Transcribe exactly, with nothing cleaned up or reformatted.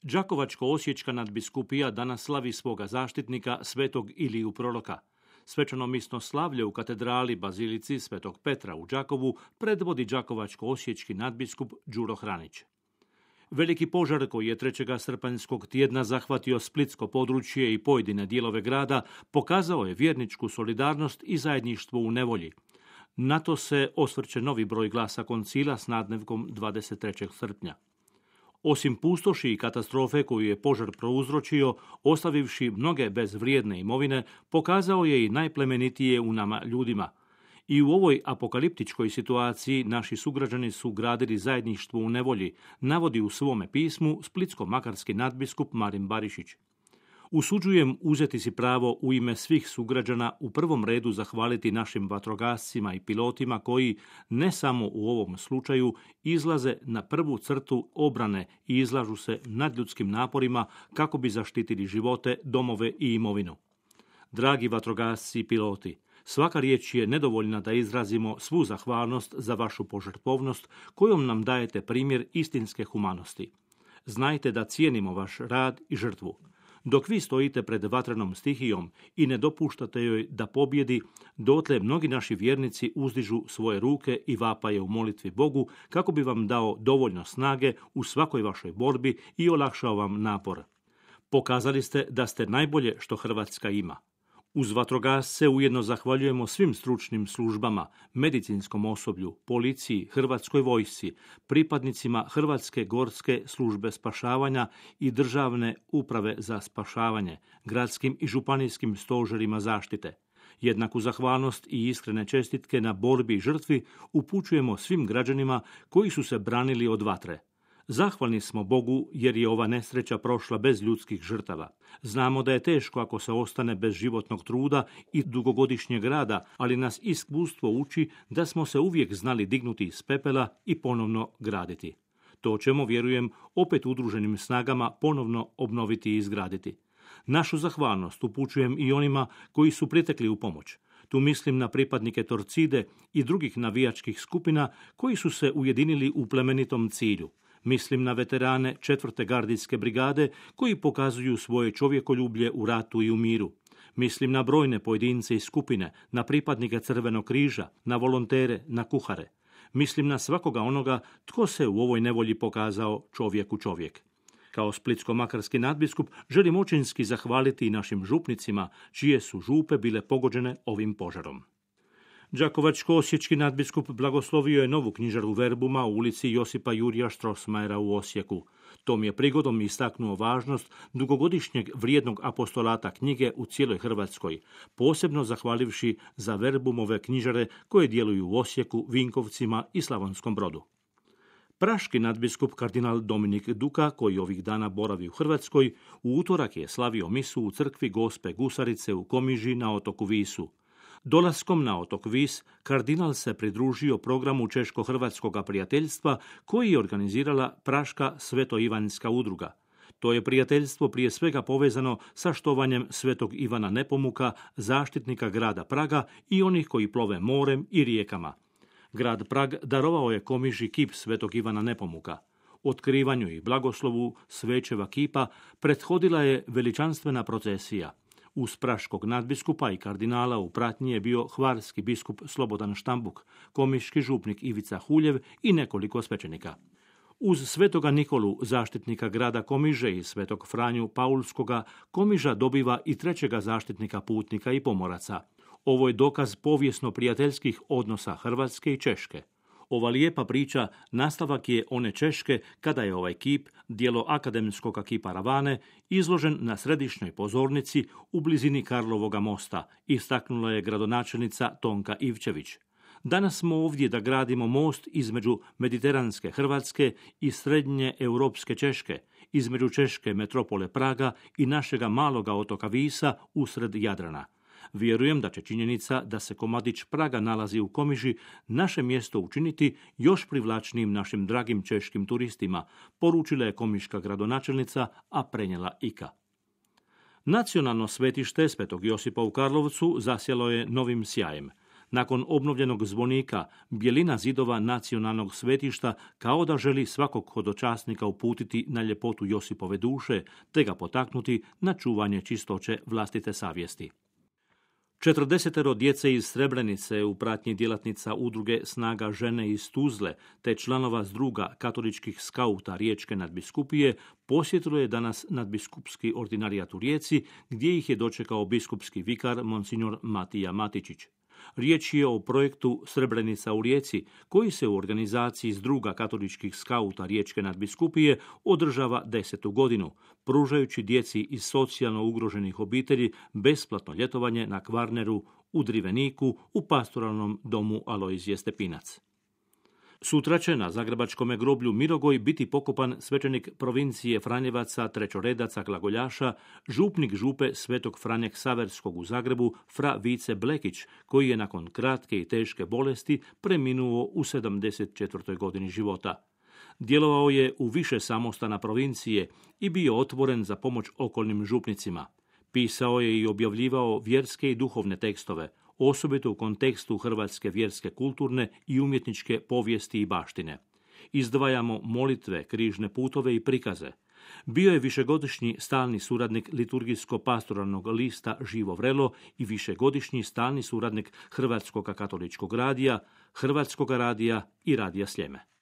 Đakovačko-osječka nadbiskupija danas slavi svoga zaštitnika, svetog Iliju Proroka. Svečano misno slavlje u katedrali Bazilici svetog Petra u Đakovu predvodi đakovačko-osječki nadbiskup Đuro Hranić. Veliki požar koji je trećeg srpanjskog tjedna zahvatio splitsko područje i pojedine dijelove grada pokazao je vjerničku solidarnost i zajedništvo u nevolji. Na to se osvrće novi broj glasa koncila s nadnevkom dvadeset trećeg srpnja. Osim pustoši i katastrofe koju je požar prouzročio, ostavivši mnoge bez vrijedne imovine, pokazao je i najplemenitije u nama ljudima. I u ovoj apokaliptičkoj situaciji naši sugrađani su gradili zajedništvo u nevolji, navodi u svome pismu splitsko-makarski nadbiskup Marin Barišić. Usuđujem uzeti si pravo u ime svih sugrađana u prvom redu zahvaliti našim vatrogascima i pilotima koji, ne samo u ovom slučaju, izlaze na prvu crtu obrane i izlažu se nadljudskim naporima kako bi zaštitili živote, domove i imovinu. Dragi vatrogasci i piloti, svaka riječ je nedovoljna da izrazimo svu zahvalnost za vašu požrtvovnost kojom nam dajete primjer istinske humanosti. Znajte da cijenimo vaš rad i žrtvu. Dok vi stojite pred vatrenom stihijom i ne dopuštate joj da pobjedi, dotle mnogi naši vjernici uzdižu svoje ruke i vapaje u molitvi Bogu kako bi vam dao dovoljno snage u svakoj vašoj borbi i olakšao vam napor. Pokazali ste da ste najbolje što Hrvatska ima. Uz vatrogasce ujedno zahvaljujemo svim stručnim službama, medicinskom osoblju, policiji, Hrvatskoj vojsci, pripadnicima Hrvatske gorske službe spašavanja i državne uprave za spašavanje, gradskim i županijskim stožerima zaštite. Jednaku zahvalnost i iskrene čestitke na borbi i žrtvi upućujemo svim građanima koji su se branili od vatre. Zahvalni smo Bogu jer je ova nesreća prošla bez ljudskih žrtava. Znamo da je teško ako se ostane bez životnog truda i dugogodišnjeg rada, ali nas iskustvo uči da smo se uvijek znali dignuti iz pepela i ponovno graditi. To ćemo, vjerujem, opet udruženim snagama ponovno obnoviti i izgraditi. Našu zahvalnost upućujem i onima koji su pritekli u pomoć. Tu mislim na pripadnike Torcide i drugih navijačkih skupina koji su se ujedinili u plemenitom cilju. Mislim na veterane četvrte gardijske brigade koji pokazuju svoje čovjekoljublje u ratu i u miru. Mislim na brojne pojedince i skupine, na pripadnike Crvenog križa, na volontere, na kuhare. Mislim na svakoga onoga tko se u ovoj nevolji pokazao čovjeku čovjek. Kao splitsko-makarski nadbiskup želim očinski zahvaliti i našim župnicima čije su župe bile pogođene ovim požarom. Đakovačko-osječki nadbiskup blagoslovio je novu knjižaru Verbuma u ulici Josipa Jurija Strossmayera u Osijeku. Tom je prigodom istaknuo važnost dugogodišnjeg vrijednog apostolata knjige u cijeloj Hrvatskoj, posebno zahvalivši za Verbumove knjižare koje djeluju u Osijeku, Vinkovcima i Slavonskom Brodu. Praški nadbiskup kardinal Dominik Duka, koji ovih dana boravi u Hrvatskoj, u utorak je slavio misu u crkvi Gospe Gusarice u Komiži na otoku Visu. Dolaskom na otok Vis, kardinal se pridružio programu Češko-hrvatskog prijateljstva koji je organizirala Praška Sveto-Ivanjska udruga. To je prijateljstvo prije svega povezano sa štovanjem Svetog Ivana Nepomuka, zaštitnika grada Praga i onih koji plove morem i rijekama. Grad Prag darovao je Komiži kip Svetog Ivana Nepomuka. Otkrivanju i blagoslovu svećeva kipa prethodila je veličanstvena procesija. Uz praškog nadbiskupa i kardinala u pratnji je bio hvarski biskup Slobodan Štambuk, komiški župnik Ivica Huljev i nekoliko svećenika. Uz svetoga Nikolu, zaštitnika grada Komiže i svetog Franju Paulskoga, Komiža dobiva i trećega zaštitnika putnika i pomoraca. Ovo je dokaz povijesno prijateljskih odnosa Hrvatske i Češke. Ova lijepa priča nastavak je one Češke kada je ovaj kip, dijelo akademskog kipa Ravane, izložen na središnjoj pozornici u blizini Karlovoga mosta, istaknula je gradonačelnica Tonka Ivčević. Danas smo ovdje da gradimo most između mediteranske Hrvatske i srednje europske Češke, između češke metropole Praga i našega maloga otoka Visa usred Jadrana. Vjerujem da će činjenica da se komadić Praga nalazi u Komiži naše mjesto učiniti još privlačnijim našim dragim češkim turistima, poručila je komiška gradonačelnica, a prenijela Ika. Nacionalno svetište Svetog Josipa u Karlovcu zasjelo je novim sjajem. Nakon obnovljenog zvonika, bjelina zidova nacionalnog svetišta kao da želi svakog hodočasnika uputiti na ljepotu Josipove duše, te ga potaknuti na čuvanje čistoće vlastite savjesti. Četrdesetero djece iz Srebrenice u pratnji djelatnica udruge Snaga žene iz Tuzle te članova zdruga katoličkih skauta Riječke nadbiskupije posjetilo je danas nadbiskupski ordinarijat u Rijeci, gdje ih je dočekao biskupski vikar monsignor Matija Matičić. Riječ je o projektu Srebrenica u Rijeci, koji se u organizaciji zdruga katoličkih skauta Riječke nadbiskupije održava desetu godinu, pružajući djeci iz socijalno ugroženih obitelji besplatno ljetovanje na Kvarneru, u Driveniku, u pastoralnom domu Alojzije Stepinac. Sutra će na zagrebačkom groblju Mirogoj biti pokopan svećenik provincije Franjevaca, trećoredaca, glagoljaša, župnik župe Svetog Franje Ksaverskog u Zagrebu, fra Vice Blekić, koji je nakon kratke i teške bolesti preminuo u sedamdeset četvrtoj godini života. Djelovao je u više samostana provincije i bio otvoren za pomoć okolnim župnicima. Pisao je i objavljivao vjerske i duhovne tekstove, osobito u kontekstu hrvatske vjerske kulturne i umjetničke povijesti i baštine. Izdvajamo molitve, križne putove i prikaze. Bio je višegodišnji stalni suradnik liturgijsko-pastoralnog lista Živo vrelo i višegodišnji stalni suradnik Hrvatskog katoličkog radija, Hrvatskog radija i Radija Sljeme.